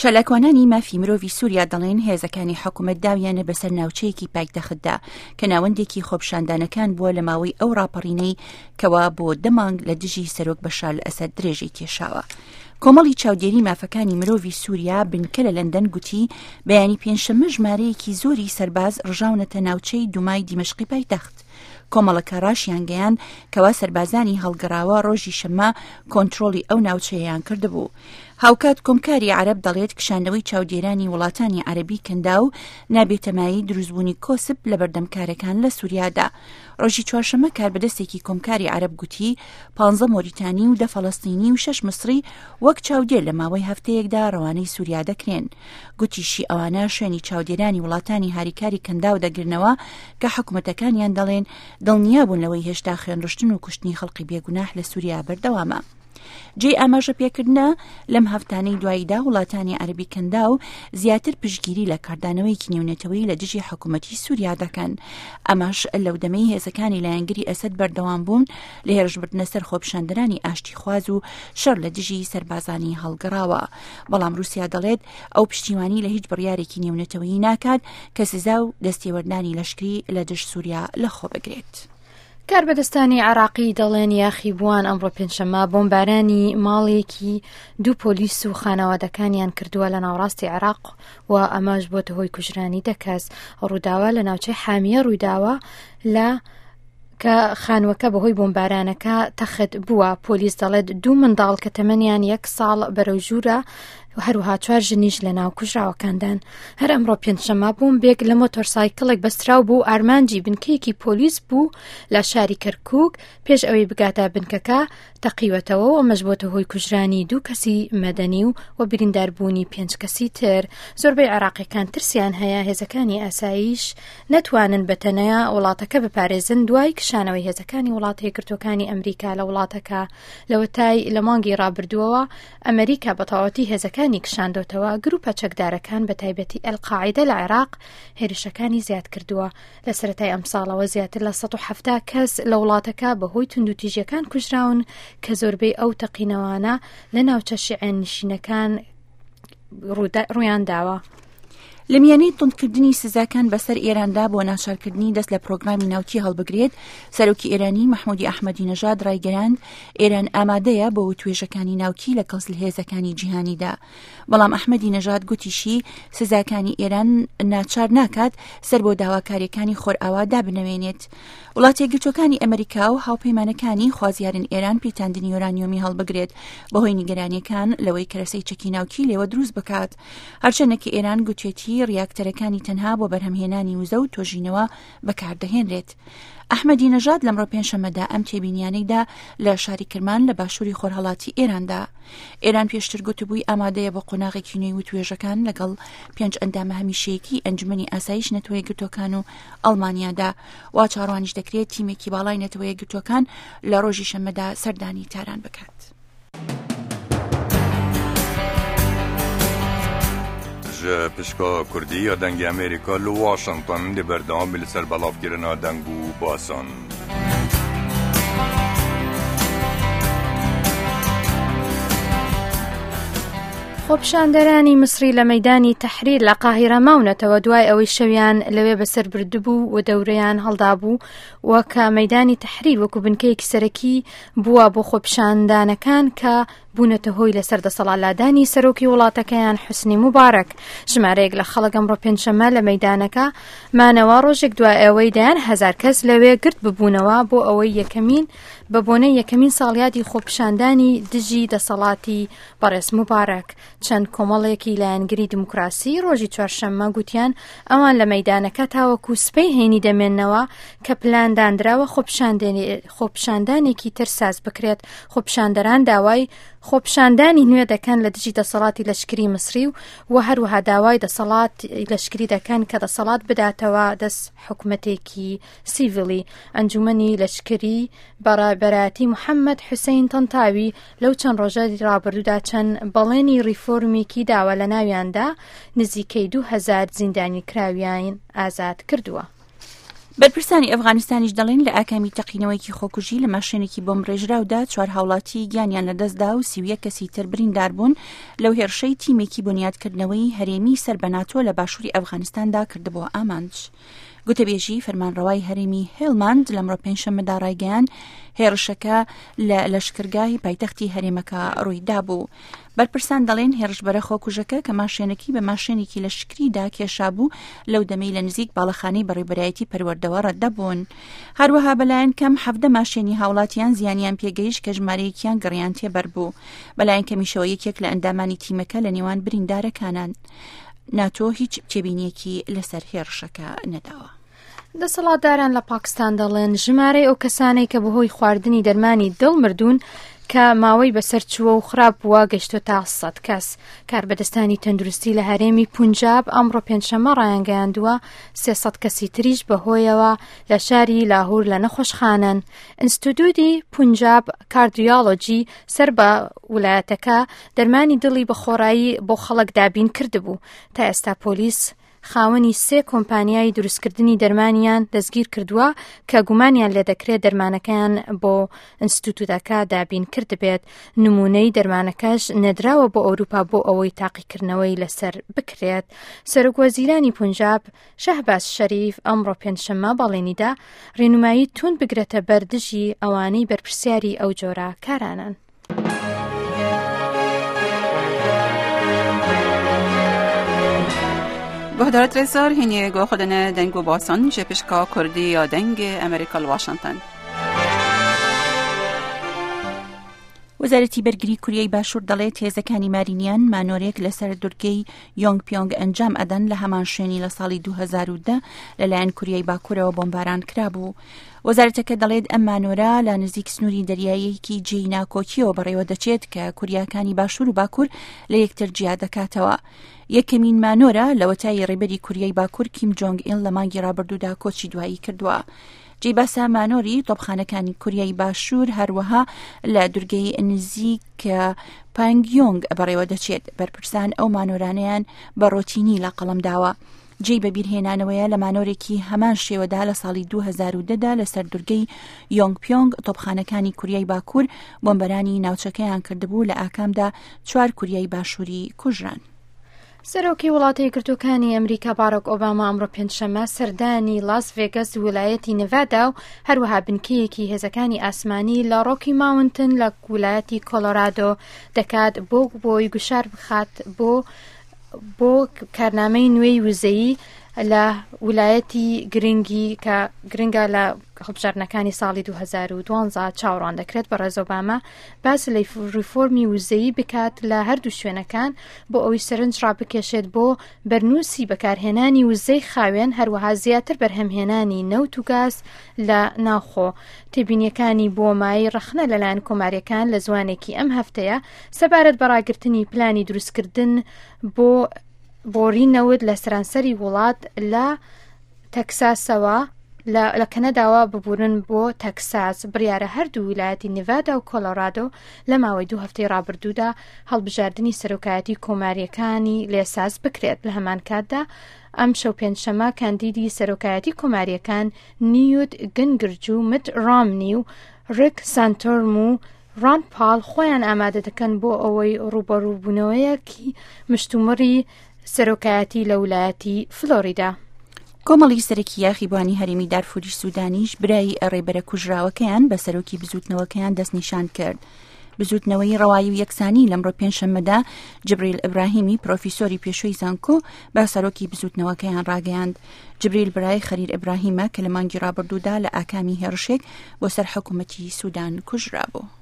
چالاکوانانی مافی مرۆڤی سووریا دەڵێن هێزەکانی حکومەت داویانە بەسەر ناوچەیەکی پایتەختدا کە ناوەندێکی خۆپیشاندانەکان بووە لە ماوەی ئەو ڕاپەڕینەی کەوا بۆ دە مانگ لە دژی سەرۆک بەشار ئەسەد درێژەی کێشاوە. کۆمەڵی چاودێری مافەکانی مرۆڤی سووریا بنکە لە لەندەن گوتی بەیانی پێنجشەممە ژمارەیەکی زۆری سەرباز ڕژاونەتە ناوچەی دومای دیمەشقی پایتەخت. کۆمەڵەکە ڕاشیانگەیاند کەوا سەربازانی هەڵگەڕاوە ڕۆژی شەممە کۆنترۆڵی ئەو ناوچەیەیان کردبوو. هاوکات کۆمکاری عەرەب دەڵێت کشانەوەی چاودێرانی وڵاتانی عەرەبی کەنداو نابێتە مایەی دروستبوونی کۆسپ لەبەردەم کارەکان لە سوریادا. ڕۆژی چوارشەممە کاربەدەستێکی کۆمکاری عەرەب گوتی پانزە مۆریتانی و دە فەڵەستینی و شەش مسری وەک چاودێر لە ماوەی هەفتەیەکدا ڕەوانەی سوریا دەکرێن. گوتیشی ئەوانە شوێنی چاودێرانی وڵاتانی هاریکاری کەنداو دەگرنەوە کە حکومەتەکانیان دەڵێن دڵنیابوون لەوەی هێشتا خوێنڕشتن و کوشتنی خەڵقی بێگوناح لە سوریا بەردەوامە. جێی ئاماژە پێکردنە لەم هەفتانەی دواییدا وڵاتانی عەربی کەنداو زیاتر پشتگیری لە کاردانەوەیەکی نێونەتەوەیی لە دژی حکوومەتی سووریا دەکەن ئەمەش لەو دەمەی هێزەکانی لایەنگری ئەسەد بەردەوام بوون لە هێرشبردنە سەر خۆپیشاندەرانی ئاشتیخواز و شەڕ لە دژی سەربازانی هەڵگەڕاوە بەڵام رووسیا دەڵێت ئەو پشتیوانی لە هیچ بڕیارێکی نێونەتەوەیی ناکات کە سزا و دەستێوەردانی لەشکری لە دژ سووریا لەخۆ بگرێت. کاربەدەستانی عێراقی دەڵێن یاخیبووان ئەمڕۆ پێنجشەممە بۆمبارانی ماڵێکی دوو پۆلیس و خانەوادەکانیان کردووە لە ناوەڕاستی عێراق و ئەمەش بۆتە هۆی کوژرانی دە کەس. ڕووداوە لە ناوچەی حامیە ڕوویداوە لە کە خانووەکە بەهۆی بۆمبارانەکە تەخت بووە. پۆلیس دەڵێت دوو منداڵ کە تەمەنیان یەک ساڵ بەرەو ژوورە هەروەها چوار ژنیش لە ناو کوژراوەکاندان. هەر ئەمڕۆ پێنجشەممە بۆمبێک لە مۆتۆرسایکڵێک بەستراو بوو ئارمانجی بنکەیەکی پۆلیس بوو لە شاری کەرکوک پێش ئەوەی بگاتە بنکەکە تەقیوەتەوە و ئەمەش بۆتە هۆی کوژرانی دوو کەسی مەدەنی و و برینداربوونی پێنج کەسی تر. زۆربەی عێراقیەکان ترسیان هەیە هێزەکانی ئاسایش نەتوانن بە تەنیا وڵاتەکە بپارێزن دوای کشانەوەی هێزەکانی وڵاتە یەکگرتووەکانی ئەمریکا لە وڵاتەکە لەوەتای لە مانگی ڕابردووەوە ئەمریکا بە تەواوەتی هێزەکانی کشاندۆتەوە، گروپە چەکدارەکان بە تایبەتی ئەلقاعیدە لە عێراق هێرشەکانی زیاد کردووە. لە سەرەتای ئەمساڵەوە زیاتر لە 170 کەس لە وڵاتەکە بەهۆی توندوتیژیەکان کوژراون کە زۆربەی ئەو تەقینەوانە لە ناوچە شیعەنشینەکان ڕوویان داوە. لە میانەی توندکردنی سزاکان بەسەر ئێراندا بۆ ناچارکردنی دەست لە پرۆگرامی ناوکی هەڵبگرێت، سەرۆکی ئێرانی مەحمودی ئەحمەدی نەژاد ڕایگەیاند، ئێران ئامادەیە بۆ وتوێژەکانی ناوکی لە کەڵ هێزەکانی جیهانیدا. بەڵام ئەحمەدی نەژاد گوتیشی، سزاکانی ئێران ناچار ناکات سەر بۆ داواکارییەکانی خۆرئاوا دابنەوێنێت. وڵاتەیەکگرتووەکانی ئەمریکا و هاوپەیمانەکانی خوازیارن ئێران پیتاندنی یۆرانیۆمی هەڵبگرێت بەهۆی نیگەرانیەکان لەوەی کەرەسەی چەکی ناوکی لێوە دروست بکات. هەرچەندە کە ئێران گوتێتی ڕیاکتەرەکانی تەنها بۆ بەرهەمهێنانی وزە و تۆژینەوە بەکاردەهێنرێت. ئەحمەدی نەژاد لەمڕۆ پێنجشەممەدا ئەم تێبینیانەی دا لە شاری کرمان لە باشووری خۆرهەڵاتی ئێراندا. ئێران پێشتر گوتبووی ئامادەیە بۆ قۆناغێکی نوێی وتوێژەکان لەگەڵ پێنج ئەندامە هەمیشەیەکی ئەنجومەنی ئاسایش نەتەوە یەکگرتووەکان و ئەڵمانیادا. وا چاوەڕوانیش دەکرێت تیمێکی باڵای نەتەوە یەکگرتووەکان لە ڕۆژی شەممەدا سەردانی تاران بکات. Ji pişka Kurdî ya Dengê Amerîka li Washington dê berdewam bî li ser belavkirina deng û basan. خۆپیشاندەرانی میسری لە مەیدانی تەحریر لە قاهیرە ماونەتەوە دوای ئەوەی شەویان لەوێ بەسەر بردبوو و دەورەیان هەڵدابوو و کە مەیدانی تەحریر وەکو بنکەیەکی سەرەکی بووە بۆ خۆپیشاندانەکان کە بوونەتە هۆی لەسەر دەسەڵات لادانی سەرۆکی وڵاتەکەیان حوسنی موبارەک. ژمارەیەک لە خەڵک ئەمڕۆ پێنجشەممە لە مەیدانەکە مانەوە ڕۆژێک دوای ئەوەی دەیان هەزار کەس لەوێ گرد ببوونەوە بۆ ئەوەی یەکەمین بە بۆنەی یەکەمین ساڵیادی خۆپیشاندانی دژی دەسەڵاتی بەڕێز موبارەک. چەند کۆمەڵێکی لایەنگری دیموکراسی ڕۆژی چوارشەممە گوتیان ئەوان لە مەیدانەکە تاوەکو سبەی هەینی دەمێننەوە کە پلان داندراوە خۆپیشاندانێکی تر ساز بکرێت. خۆپیشاندەران داوای خۆپیشاندانی نوێ دەکەن لە دژی دەسەڵاتی لەشکری میسری و و هەروەها داوای دەسەڵات لەشکری دەکەن کە دەسەڵات بداتەوە دەست حکومەتێکی سیڤیلی. ئەنجومەنی لەشکری بە ڕابەرایەتی محەممەد حوسەین تەنتاوی لەو چەند ڕۆژە ڕابردوودا چەند بەڵێنی ڕیفۆرمێکی داوە لە ناویاندا نزیکەی 2000 زیندانیکراویان ئازاد کردووە. بەرپرسانی ئەفغانستانیش دەڵێن لە ئاکامی تەقینەوەیەکی خۆکوژی لە ماشێنێکی بۆمبڕێژراودا چوار هاوڵاتی گیانیان لەدەستدا و 31 کەسی تر بریندار بوون لەو هێرشەی تیمێکی بنیادکردنەوەی هەرێمی سەر بە ناتۆ لە باشووری ئەفغانستاندا کردبووە ئامانج. گوتەبێژی فەرمانڕەوای هەرێمی هێلماند لەمڕۆ پێنجشەممەدا ڕایگەیاند هێرشەکە لە لەشکرگاهی پایتەختی هەرێمەکە ڕوویدابوو. بەرپرسان دەڵێن هێرشبەرە خۆکوژەکە کە ماشێنەکەی بە ماشێنێکی لەشکریدا کێشابوو لەو دەمەی لە نزیک باڵەخانەی بەڕێوبەرایەتی پەروەردەوە ڕەتدەبوون. هەروەها بەلایەن کەم حەڤدە ماشێنی هاوڵاتیان زیانیان پێگەیشت کە ژمارەیەکیان گڕیان تێبەربوو. بەلایەن کەمیشەوە یەکێک لە ئەندامانی تیمەکە لە نێوان بریندارەکانان. ناتۆ هیچ تێبینیەکی لەسەر هێڕشەکە نەداوە. دەسەڵاتداران لە پاکستان دەڵێن ژمارەی ئەو کەسانەی کە بەهۆی خواردنی دەرمانی دڵ مردوون کە ماوەی بەسەر چووە و خراپ بووە گەشتۆتە 100 کەس. کاربەدەستانی تەندروستی لە هەرێمی پونجاب ئەمڕۆ پێنجشەممە ڕایانگەیاندووە 300 کەسی تریش بەهۆیەوە لە شاری لاهور لە نەخۆشخانەن. ئینستیتوتی پونجاب کاردیۆلۆجی سەر بە ولایەتەکە دەرمانی دڵی بە خۆڕایی بۆ خەڵک دابین کردبوو. تا ئێستا پۆلیس خاوەنی سێ کۆمپانیای دروستکردنی دەرمانیان دەستگیر کردووە کە گومانیان لێدەکرێت دەرمانەکەیان بۆ ئینستیتوتەکە دابین کردبێت. نمونەی دەرمانەکەش نێدراوە بۆ ئەوروپا بۆ ئەوەی تاقیکردنەوەی لەسەر بکرێت. سەرۆکوەزیرانی پونجاب شەهباز شەریف ئەمڕۆ پێنجشەممە بەڵێنیدا ڕێنمایی توند بگرێتە بەر دژی ئەوانەی بەرپرسیاری ئەو جۆرە کارانەن. گۆهدارت رێزدار هینێ گۆ خودنە دەنگ و باسان ژێ پشکا کوردی یا دەنگ ئەمریکا لە واشنتن. وەزارەتی بەرگری کوریای باشوور دەڵێت هێزەکانی مارینیان مانۆرێک لەسەر دورگەی یۆنگ پیۆنگ ئەنجام ئەدەن لە هەمان شوێنی لە ساڵی 2010 لەلایەن کوریای باکوورەوە بۆمباران کرابوو. وەزارەتەکە دەڵێت ئەم مانۆرە لە نزیک سنووری دەریاییەکی جێی ناکۆکیەوە بەڕێوە دەچێت کە کوریاکانی باشوور و باکوور لە یەکتر جیا دەکاتەوە. یەکەمین مانۆرە لەوەتای ڕێبەری کوریای باکوور کیم جۆنگ ئیل لە مانگی ڕابردوودا کۆچی دوایی کردووە. جێی باسە مانۆری تۆپخانەکانی کوریای باشوور هەروەها لە دورگەی نزیک پانگیۆنگ بەڕێوە دەچێت. بەرپرسان ئەو مانۆرانەیان بە ڕۆتینی لە قەڵەم داوە. جێی بەبیرهێنانەوەیە لە مانۆرێکی هەمان شێوەدا لە ساڵی 2010 دا لەسەر دورگەی یۆنگ پیۆنگ تۆپخانەکانی کوریای باکوور بۆمبەرانی ناوچەکەیان کردبوو لە ئاکامدا چوار کوریای باشووری کوژران. سەرۆکی وڵاتە یەکگرتووەکانی ئەمریکا باراک ئۆباما ئەمڕۆ پێنجشەممە سەردانی لاس ڤێگەس ولایەتی نێڤادا و هەروەها بنکەیەکی هێزەکانی ئاسمانی لە ڕۆکی ماونتن لە ولایەتی کۆلۆرادۆ دەکات بۆ بۆی گوشار بخات بۆ بۆ کارنامەی نوێی وزەیی لە ولایەتی گرنگی کە گرنگە لە هەڵبژاردنەکانی ساڵی 2012 چاوەڕوان دەکرێت بەڕێز ئۆباما باس لە ریفۆرمی وزەیی بکات لە هەردوو شوێنەکان بۆ ئەوەی سەرنج ڕابکێشێت بۆ بەرنووسی بەکارهێنانی وزەی خاوێن هەروەها زیاتر بەرهەمهێنانی نەوت و گاز لە ناوخۆ. تێبینیەکانی بۆ مایەی ڕەخنە لەلایەن کۆماریەکان لە زوانێکی ئەم هەفتەیە سەبارەت بە ڕاگرتنی پلانی دروستکردن بۆ بۆری نەوت لە سەرانسەری وڵات لە تەکساسەوە لە کەنەداوە ببورن بۆ تەکساس بڕیارە هەردوو ویلایەتی نێڤادا و کۆلۆرادۆ لە ماوەی دوو هەفتەی ڕابردوودا هەڵبژاردنی سەرۆکایەتی کۆمارییەکانی لێساز بکرێت لە هەمان کاتدا ئەمشەو پێنجشەممە کاندیدی سەرۆکایەتی کۆمارییەکان نیوت گنگرج و مت ڕامنی و ڕیک سانتۆرم و ڕاند پاڵ خۆیان ئامادە دەکەن بۆ ئەوەی ڕووبەڕووبوونەوەیەکی مشتومڕی سەرۆکایەتی لە ولایەتی فلۆریدا. کۆمەڵی سەرەکی یاخیبوانی هەرێمی دارفوری سودانیش برای ڕێبەرە کوژراوەکەیان بە سەرۆکی بزوتنەوەکەیان دەستنیشان کرد. بزوتنەوەی ڕەوایی و یەکسانی لەمڕۆ پێنجشەممەدا جبریل ئیبراهیمی پرۆفیسۆری پێشووی زانکۆ بە سەرۆکی بزوتنەوەکەیان ڕاگەیاند. جبریل برای خەلیل ئیبراهیمە کە لە مانگی ڕابردوودا لە ئاکامی هێڕشێک بۆ سەر حکوومەتی سودان کوژرابوو.